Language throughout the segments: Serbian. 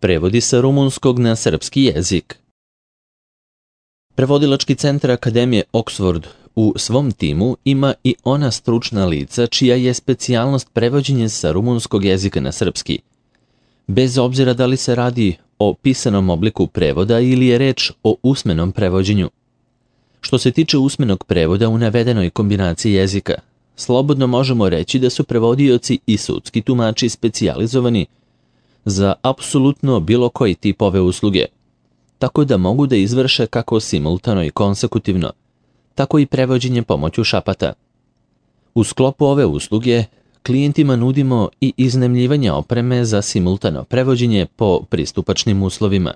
Prevodi sa rumunskog na srpski jezik. Prevodilački centar Akademije Oxford u svom timu ima i ona stručna lica čija je specijalnost prevođenje sa rumunskog jezika na srpski. Bez obzira da li se radi o pisanom obliku prevoda ili je reč o usmenom prevođenju. Što se tiče usmenog prevoda u navedenoj kombinaciji jezika, slobodno možemo reći da su prevodioci i sudski tumači specijalizovani za apsolutno bilo koji tip ove usluge, tako da mogu da izvrše kako simultano i konsekutivno, tako i prevođenje pomoću šapata. U sklopu ove usluge klijentima nudimo i iznajmljivanje opreme za simultano prevođenje po pristupačnim uslovima.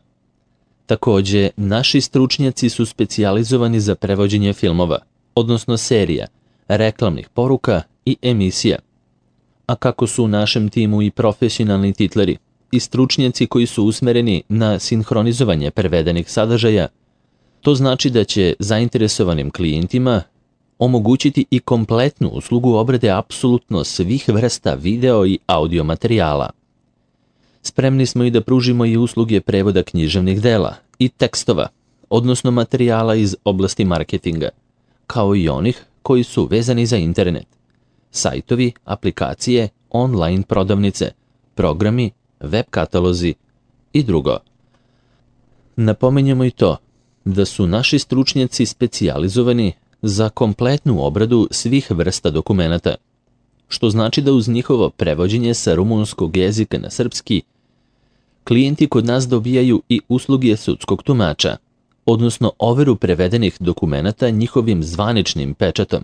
Takođe, naši stručnjaci su specijalizovani za prevođenje filmova, odnosno serija, reklamnih poruka i emisija. A kako su u našem timu i profesionalni titleri i stručnjaci koji su usmereni na sinhronizovanje prevedenih sadržaja, to znači da će zainteresovanim klijentima omogućiti i kompletnu uslugu obrade apsolutno svih vrsta video i audio materijala. Spremni smo i da pružimo i usluge prevoda književnih dela i tekstova, odnosno materijala iz oblasti marketinga, kao i onih koji su vezani za internet, sajtovi, aplikacije, online prodavnice, programi, web katalozi i drugo. Napominjemo i to da su naši stručnjaci specijalizovani za kompletnu obradu svih vrsta dokumenata, što znači da uz njihovo prevođenje sa rumunskog jezika na srpski, klijenti kod nas dobijaju i usluge sudskog tumača, odnosno overu prevedenih dokumenata njihovim zvaničnim pečatom.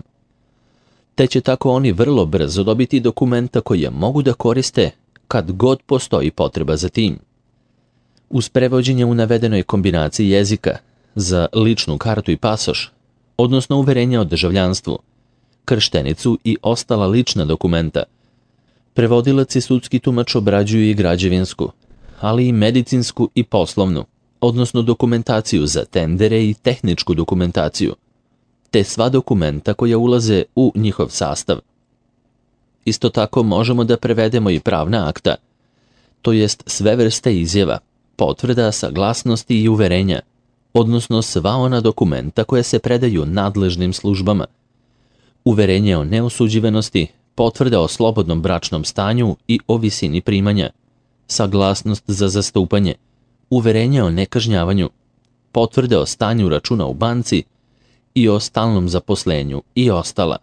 Te će tako oni vrlo brzo dobiti dokumenta koje mogu da koriste kad god postoji potreba za tim. Uz prevođenje u navedenoj kombinaciji jezika za ličnu kartu i pasoš, odnosno uverenje o državljanstvu, krštenicu i ostala lična dokumenta, prevodilac i sudski tumač obrađuju i građevinsku, ali i medicinsku i poslovnu, odnosno dokumentaciju za tendere i tehničku dokumentaciju, te sva dokumenta koja ulaze u njihov sastav. Isto tako možemo da prevedemo i pravna akta, to jest sve vrste izjava, potvrda, saglasnosti i uverenja, odnosno sva ona dokumenta koja se predaju nadležnim službama, uverenje o neosuđivenosti, potvrda o slobodnom bračnom stanju i o visini primanja, saglasnost za zastupanje, uverenje o nekažnjavanju, potvrde o stanju računa u banci i o stalnom zaposlenju i ostala.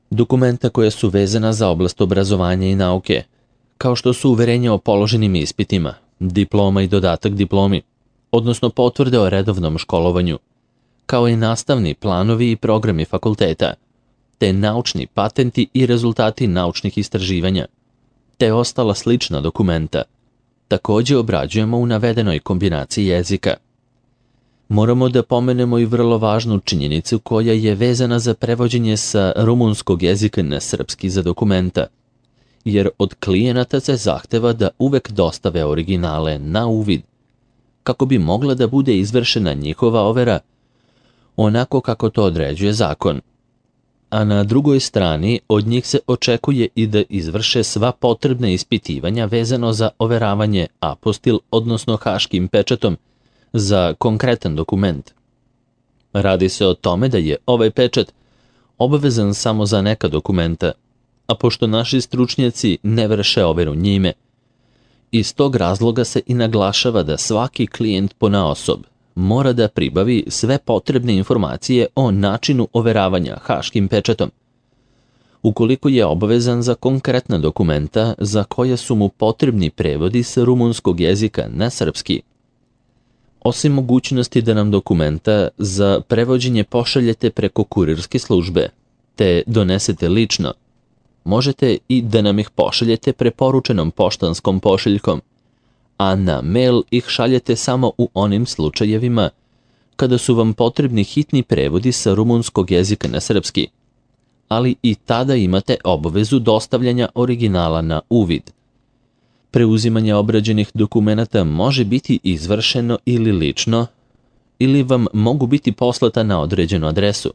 Dokumenta koja su vezana za oblast obrazovanja i nauke, kao što su uverenje o položenim ispitima, diploma i dodatak diplomi, odnosno potvrde o redovnom školovanju, kao i nastavni planovi i programi fakulteta, te naučni patenti i rezultati naučnih istraživanja, te ostala slična dokumenta, takođe obrađujemo u navedenoj kombinaciji jezika. Moramo da pomenemo i vrlo važnu činjenicu koja je vezana za prevođenje sa rumunskog jezika na srpski za dokumenta, jer od klijenata se zahteva da uvek dostave originale na uvid, kako bi mogla da bude izvršena njihova overa onako kako to određuje zakon. A na drugoj strani od njih se očekuje i da izvrše sva potrebna ispitivanja vezano za overavanje apostil, odnosno haškim pečatom, za konkretan dokument. Radi se o tome da je ovaj pečat obavezan samo za neka dokumenta, a pošto naši stručnjaci ne vrše overu njime, iz tog razloga se i naglašava da svaki klijent ponaosob mora da pribavi sve potrebne informacije o načinu overavanja haškim pečatom, ukoliko je obavezan za konkretna dokumenta za koja su mu potrebni prevodi sa rumunskog jezika na srpski. Osim mogućnosti da nam dokumenta za prevođenje pošaljete preko kurirske službe, te donesete lično, možete i da nam ih pošaljete preporučenom poštanskom pošiljkom, a na mail ih šaljete samo u onim slučajevima kada su vam potrebni hitni prevodi sa rumunskog jezika na srpski, ali i tada imate obavezu dostavljanja originala na uvid. Preuzimanje obrađenih dokumenata može biti izvršeno ili lično, ili vam mogu biti poslata na određenu adresu,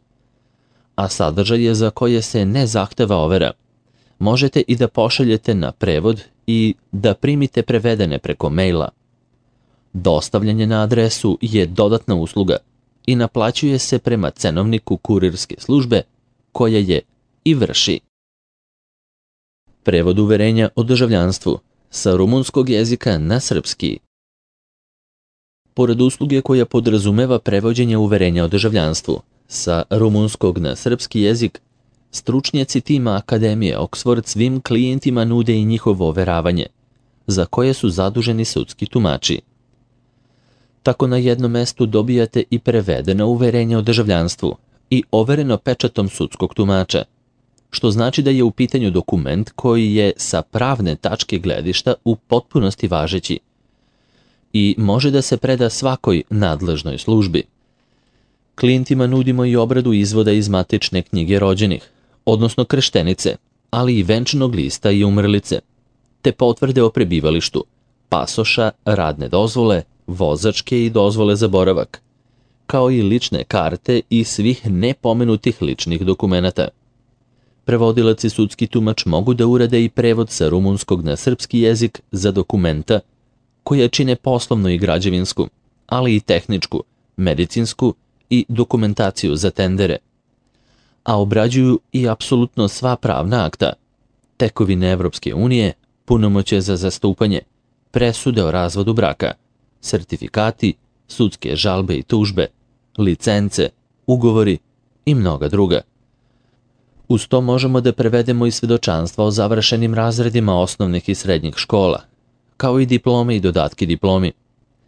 a sadržaje za koje se ne zahteva overa možete i da pošaljete na prevod i da primite prevedene preko maila. Dostavljanje na adresu je dodatna usluga i naplaćuje se prema cenovniku kurirske službe koja je i vrši. Prevod uverenja o državljanstvu sa rumunskog jezika na srpski. Pored usluge koja podrazumeva prevođenje uverenja o državljanstvu sa rumunskog na srpski jezik, stručnjaci tima Akademije Oxford svim klijentima nude i njihovo overavanje, za koje su zaduženi sudski tumači. Tako na jednom mestu dobijate i prevedeno uverenje o državljanstvu i overeno pečatom sudskog tumača, što znači da je u pitanju dokument koji je sa pravne tačke gledišta u potpunosti važeći i može da se preda svakoj nadležnoj službi. Klijentima nudimo i obradu izvoda iz matične knjige rođenih, odnosno krštenice, ali i venčanog lista i umrlice, te potvrde o prebivalištu, pasoša, radne dozvole, vozačke i dozvole za boravak, kao i lične karte i svih nepomenutih ličnih dokumenata. Prevodilac i sudski tumač mogu da urade i prevod sa rumunskog na srpski jezik za dokumenta koja čine poslovnu i građevinsku, ali i tehničku, medicinsku i dokumentaciju za tendere, a obrađuju i apsolutno sva pravna akta, tekovine Evropske unije, punomoćje za zastupanje, presude o razvodu braka, sertifikati, sudske žalbe i tužbe, licence, ugovori i mnoga druga. Uz to možemo da prevedemo i svedočanstva o završenim razredima osnovnih i srednjih škola, kao i diplome i dodatke diplomi,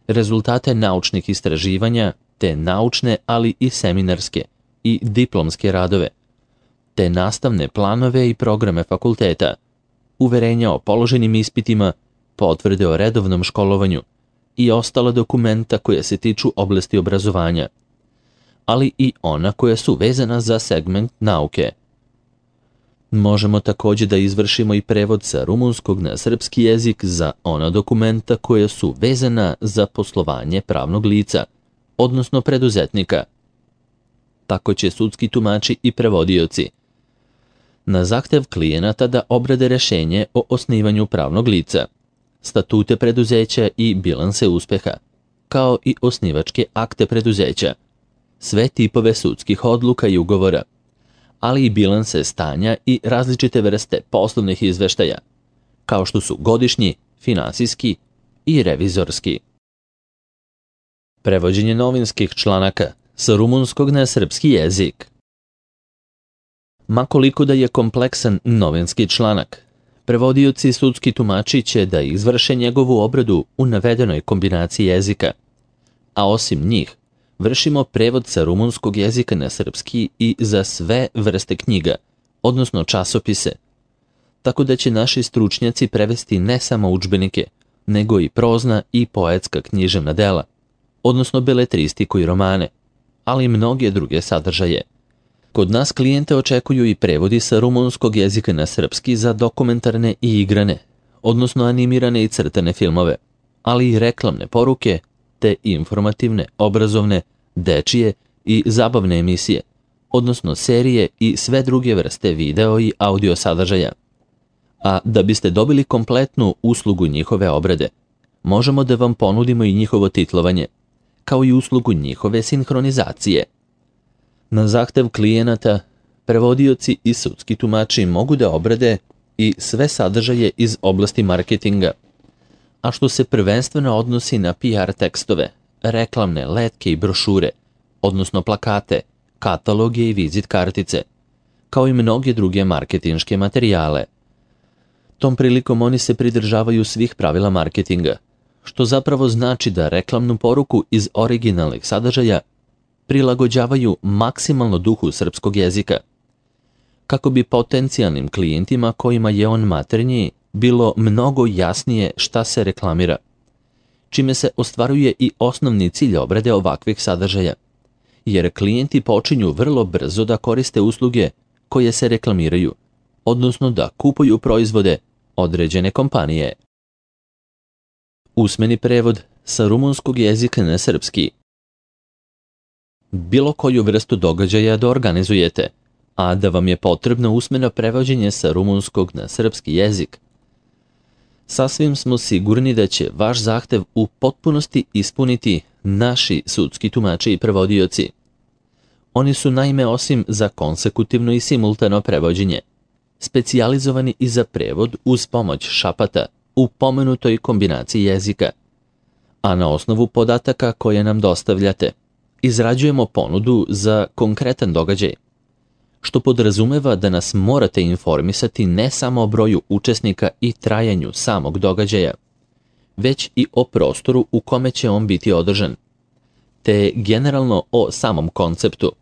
rezultate naučnih istraživanja, te naučne, ali i seminarske i diplomske radove, te nastavne planove i programe fakulteta, uverenja o položenim ispitima, potvrde o redovnom školovanju i ostala dokumenta koja se tiču oblasti obrazovanja, ali i ona koja su vezana za segment nauke. Možemo također da izvršimo i prevod sa rumunskog na srpski jezik za ona dokumenta koja su vezana za poslovanje pravnog lica, odnosno preduzetnika. Tako će sudski tumači i prevodioci na zahtev klijenata da obrade rešenje o osnivanju pravnog lica, statute preduzeća i bilanse uspeha, kao i osnivačke akte preduzeća, sve tipove sudskih odluka i ugovora, ali i bilanse stanja i različite vrste poslovnih izveštaja, kao što su godišnji, finansijski i revizorski. Prevođenje novinskih članaka sa rumunskog na srpski jezik. Ma koliko da je kompleksan novinski članak, prevodioci i sudski tumači će da izvrše njegovu obradu u navedenoj kombinaciji jezika, a osim njih, vršimo prevod sa rumunskog jezika na srpski i za sve vrste knjiga, odnosno časopise, tako da će naši stručnjaci prevesti ne samo udžbenike, nego i prozna i poetska književna dela, odnosno beletristiku i romane, ali i mnoge druge sadržaje. Kod nas klijente očekuju i prevodi sa rumunskog jezika na srpski za dokumentarne i igrane, odnosno animirane i crtane filmove, ali i reklamne poruke, te informativne, obrazovne, dečije i zabavne emisije, odnosno serije i sve druge vrste video i audio sadržaja. A da biste dobili kompletnu uslugu njihove obrade, možemo da vam ponudimo i njihovo titlovanje, kao i uslugu njihove sinhronizacije. Na zahtev klijenata, prevodioci i sudski tumači mogu da obrade i sve sadržaje iz oblasti marketinga, a što se prvenstveno odnosi na PR tekstove, reklamne letke i brošure, odnosno plakate, kataloge i vizit kartice, kao i mnoge druge marketinške materijale. Tom prilikom oni se pridržavaju svih pravila marketinga, što zapravo znači da reklamnu poruku iz originalnih sadržaja prilagođavaju maksimalno duhu srpskog jezika, kako bi potencijalnim klijentima kojima je on maternji bilo mnogo jasnije šta se reklamira, čime se ostvaruje i osnovni cilj obrade ovakvih sadržaja, jer klijenti počinju vrlo brzo da koriste usluge koje se reklamiraju, odnosno da kupuju proizvode određene kompanije. Usmeni prevod sa rumunskog jezika na srpski. Bilo koju vrstu događaja da organizujete, a da vam je potrebno usmeno prevođenje sa rumunskog na srpski jezik, Sasvim smo sigurni da će vaš zahtev u potpunosti ispuniti naši sudski tumači i prevodioci. Oni su naime osim za konsekutivno i simultano prevođenje, specijalizovani i za prevod uz pomoć šapata u pomenutoj kombinaciji jezika. A na osnovu podataka koje nam dostavljate, izrađujemo ponudu za konkretan događaj, što podrazumeva da nas morate informisati ne samo o broju učesnika i trajanju samog događaja, već i o prostoru u kome će on biti održan, te generalno o samom konceptu.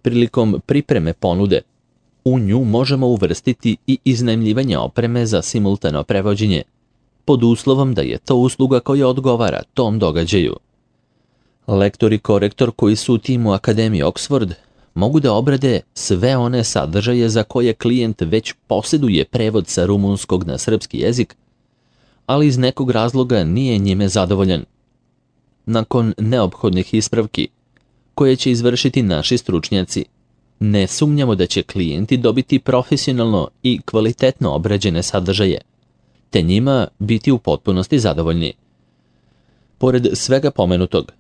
Prilikom pripreme ponude, u nju možemo uvrstiti i iznajmljivanje opreme za simultano prevođenje, pod uslovom da je to usluga koja odgovara tom događaju. Lektor i korektor koji su u timu Akademije Oxford mogu da obrade sve one sadržaje za koje klijent već posjeduje prevod sa rumunskog na srpski jezik, ali iz nekog razloga nije njime zadovoljan. Nakon neophodnih ispravki, koje će izvršiti naši stručnjaci, ne sumnjamo da će klijenti dobiti profesionalno i kvalitetno obrađene sadržaje, te njima biti u potpunosti zadovoljni. Pored svega pomenutog,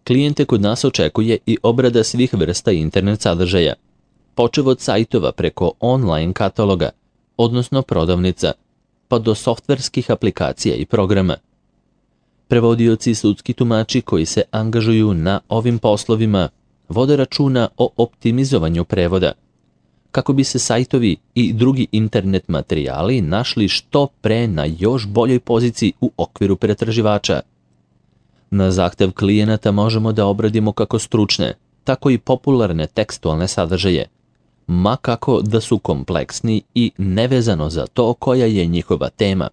klijente kod nas očekuje i obrada svih vrsta internet sadržaja, počev od sajtova preko online kataloga, odnosno prodavnica, pa do softverskih aplikacija i programa. Prevodioci i sudski tumači koji se angažuju na ovim poslovima vode računa o optimizovanju prevoda, kako bi se sajtovi i drugi internet materijali našli što pre na još boljoj poziciji u okviru pretraživača. Na zahtev klijenata možemo da obradimo kako stručne, tako i popularne tekstualne sadržaje, ma kako da su kompleksni i nevezano za to koja je njihova tema.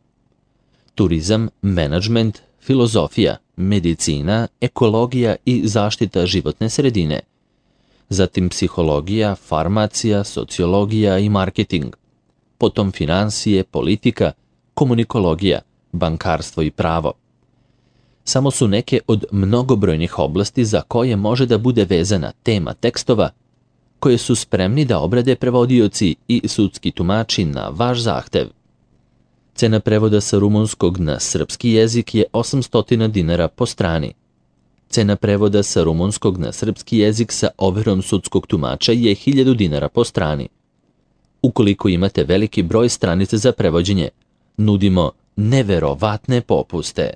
Turizam, menadžment, filozofija, medicina, ekologija i zaštita životne sredine. Zatim psihologija, farmacija, sociologija i marketing. Potom finansije, politika, komunikologija, bankarstvo i pravo. Samo su neke od mnogobrojnih oblasti za koje može da bude vezana tema tekstova, koje su spremni da obrade prevodioci i sudski tumači na vaš zahtev. Cena prevoda sa rumunskog na srpski jezik je 800 dinara po strani. Cena prevoda sa rumunskog na srpski jezik sa overom sudskog tumača je 1000 dinara po strani. Ukoliko imate veliki broj stranica za prevođenje, nudimo neverovatne popuste.